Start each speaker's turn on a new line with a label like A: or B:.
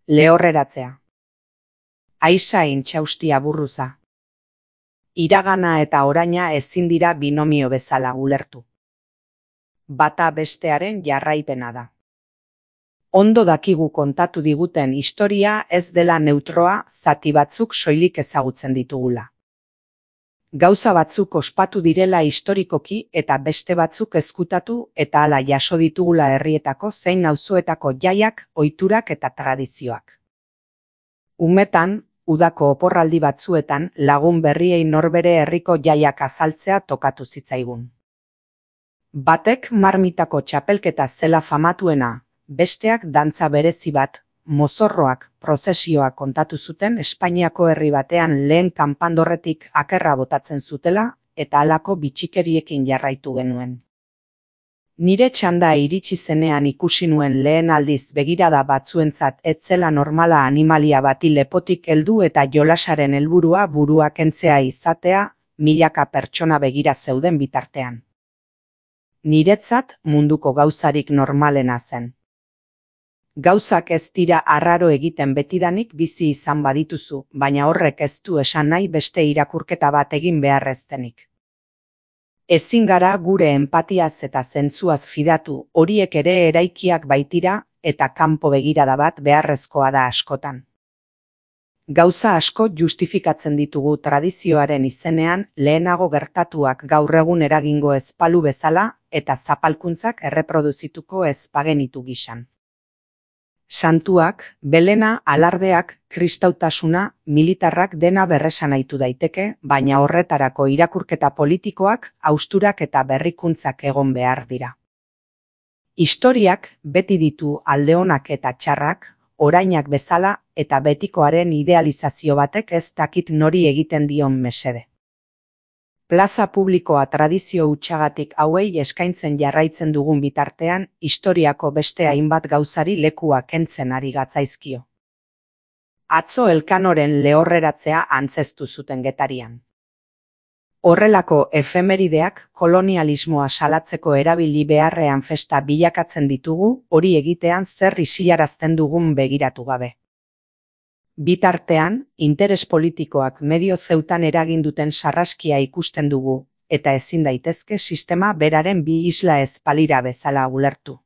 A: Lehorreratzea. Aiza intxaustia burruza. Iragana eta oraina ezin dira binomio bezala ulertu. Bata bestearen jarraipena da. Ondo dakigu kontatu diguten historia ez dela neutroa, zati batzuk soilik ezagutzen ditugula. Gauza batzuk ospatu direla historikoki eta beste batzuk ezkutatu eta hala jaso ditugula herrietako zein auzoetako jaiak, ohiturak eta tradizioak. Umetan, udako oporraldi batzuetan lagun berriei norbere herriko jaiak azaltzea tokatu zitzaigun. Batek marmitako txapelketa zela famatuena, besteak dantza berezi bat, mozorroak, prozesioak kontatu zuten Espainiako herri batean lehen kanpandorretik akerra botatzen zutela eta halako bitxikeriekin jarraitu genuen. Nire txanda iritsi zenean ikusi nuen lehen aldiz begirada batzuentzat ez zela normala animalia bati lepotik heldu eta jolasaren helburua burua kentzea izatea, milaka pertsona begira zeuden bitartean. Niretzat munduko gauzarik normalena zen. Gauzak ez dira arraro egiten betidanik bizi izan badituzu, baina horrek ez du esan nahi beste irakurketa bat egin beharreztenik. Ezin gara gure enpatiaz eta zentzuaz fidatu, horiek ere eraikiak baitira eta kanpo begirada bat beharrezkoa da askotan. Gauza asko justifikatzen ditugu tradizioaren izenean lehenago gertatuak gaur egun eragingo ez balu bezala eta zapalkuntzak erreproduzituko ez bagenitu gisan. Santuak, Belena, alardeak, kristautasuna, militarrak dena berresanahitu daiteke, baina horretarako irakurketa politikoak, hausturak eta berrikuntzak egon behar dira. Historiak beti ditu alde onak eta txarrak, orainak bezala eta betikoaren idealizazio batek ez dakit nori egiten dion mesede. Plaza publikoa tradizio hutsagatik hauei eskaintzen jarraitzen dugun bitartean, historiako beste hainbat gauzari lekua kentzen ari gatzaizkio. Atzo Elkanoren lehorreratzea antzeztu zuten Getarian. Horrelako efemerideak kolonialismoa salatzeko erabili beharrean festa bilakatzen ditugu, hori egitean zer isilarazten dugun begiratu gabe. Bitartean, interes politikoak medio zeutan eraginduten sarraskia ikusten dugu, eta ezin daitezke sistema beraren bi isla ez balira bezala ulertu.